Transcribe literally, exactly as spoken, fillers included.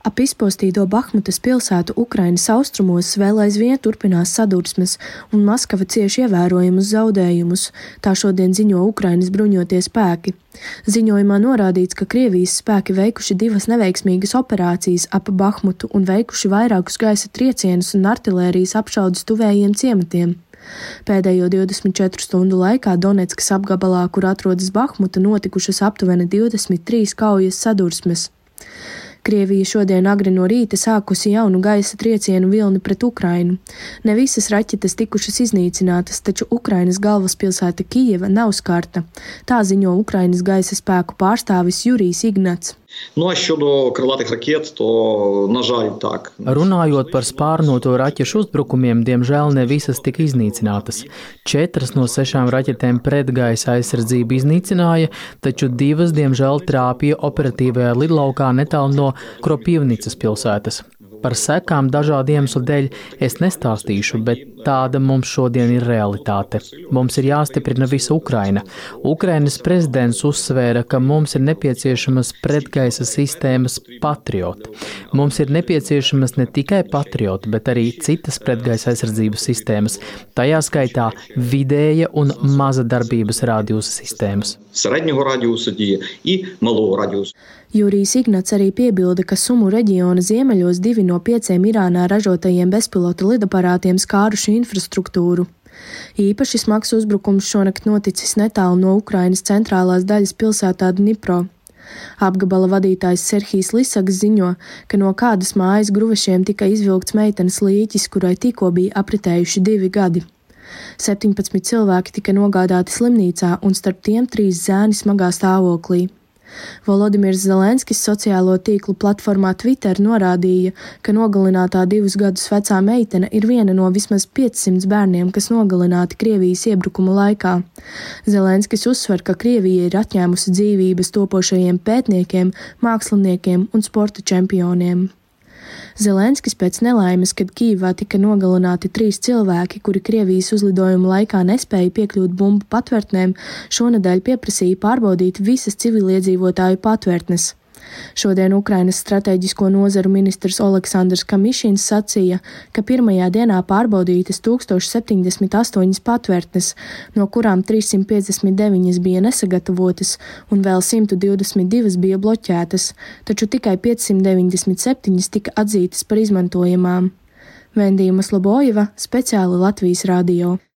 Ap izpostīto Bahmutas pilsētu Ukrainas austrumos vēl aizvien turpinās sadursmes, un Maskava cieš ievērojumus zaudējumus, tā šodien ziņo Ukrainas bruņotie spēki. Ziņojumā norādīts, ka Krievijas spēki veikuši divas neveiksmīgas operācijas ap Bahmutu un veikuši vairākus gaisa triecienus un artilērijas apšaudes tuvējiem ciematiem. Pēdējo divdesmit četru stundu laikā Donetskas apgabalā, kur atrodas Bahmuta, notikušas aptuveni divdesmit trīs kaujas sadursmes. Krievija šodien agri no rīta sākusi jaunu gaisa triecienu vilni pret Ukrainu. Ne visas raķetes tikušas iznīcinātas, taču Ukrainas galvaspilsēta Kijeva nav skarta. Tā ziņo Ukrainas gaisa spēku pārstāvis Jurijs Ignats. Nu, a щодо крилатих ракет, то, на жаль, так. Runājot par spārnoto raķešu uzbrukumiem, diemžēl ne visas tika iznīcinātas. Četras no sešām raķetēm pretgaisa aizsardzību iznīcināja, taču divas, diemžēl, trāpīja operatīvajā lidlaukā netālu no Kropivnicas pilsētas. Par sekām dažādu iemeslu dēļ es nestāstīšu, bet tāda mums šodien ir realitāte. Mums ir jāstiprina visa Ukraina. Ukrainas prezidents uzsvēra, ka mums ir nepieciešamas pretgaisa sistēmas Patriot. Mums ir nepieciešamas ne tikai Patriot, bet arī citas pretgaisa aizsardzības sistēmas, tajā skaitā vidēja un maza darbības radiusa sistēmas. Середнього радіусу діє і малого радіусу. Jurijs Ignats arī piebilda, ka Sumu reģiona ziemeļos divi no pieciem Irānā ražotajiem bezpilota lidaparātiem skāruši infrastruktūru. Īpaši smags uzbrukums šonakt noticis netālu no Ukrainas centrālās daļas pilsētā Dnipro. Apgabala vadītājs Serhijs Lisaks ziņo, ka no kādas mājas gruvešiem tika izvilkts meitenes līķis, kurai tikko bija apritējuši divi gadi. septiņpadsmit cilvēki tika nogādāti slimnīcā un starp tiem trīs zēni smagā stāvoklī. Volodimirs Zelenskis sociālo tīklu platformā Twitter norādīja, ka nogalinātā divus gadus vecā meitene ir viena no vismaz piecsimt bērniem, kas nogalināti Krievijas iebrukuma laikā. Zelenskis uzsver, ka Krievija ir atņēmusi dzīvības topošajiem pētniekiem, māksliniekiem un sporta čempioniem. Zelenskis pēc nelaimes, kad Kijevā tika nogalināti trīs cilvēki, kuri Krievijas uzlidojuma laikā nespēja piekļūt bumbu patvērtnēm, šonedēļ pieprasīja pārbaudīt visas civiliedzīvotāju patvērtnes. Šodien Ukrainas strateģisko nozaru ministrs Oleksandrs Kamišins sacīja, ka pirmajā dienā pārbaudītas tūkstoš septiņdesmit astoņas patvērtnes, no kurām trīssimt piecdesmit deviņas bija nesagatavotas un vēl simt divdesmit divas bija bloķētas, taču tikai piecsimt deviņdesmit septiņas tika atzītas par izmantojamām. Vendija Maslobojeva, speciāli Latvijas radio.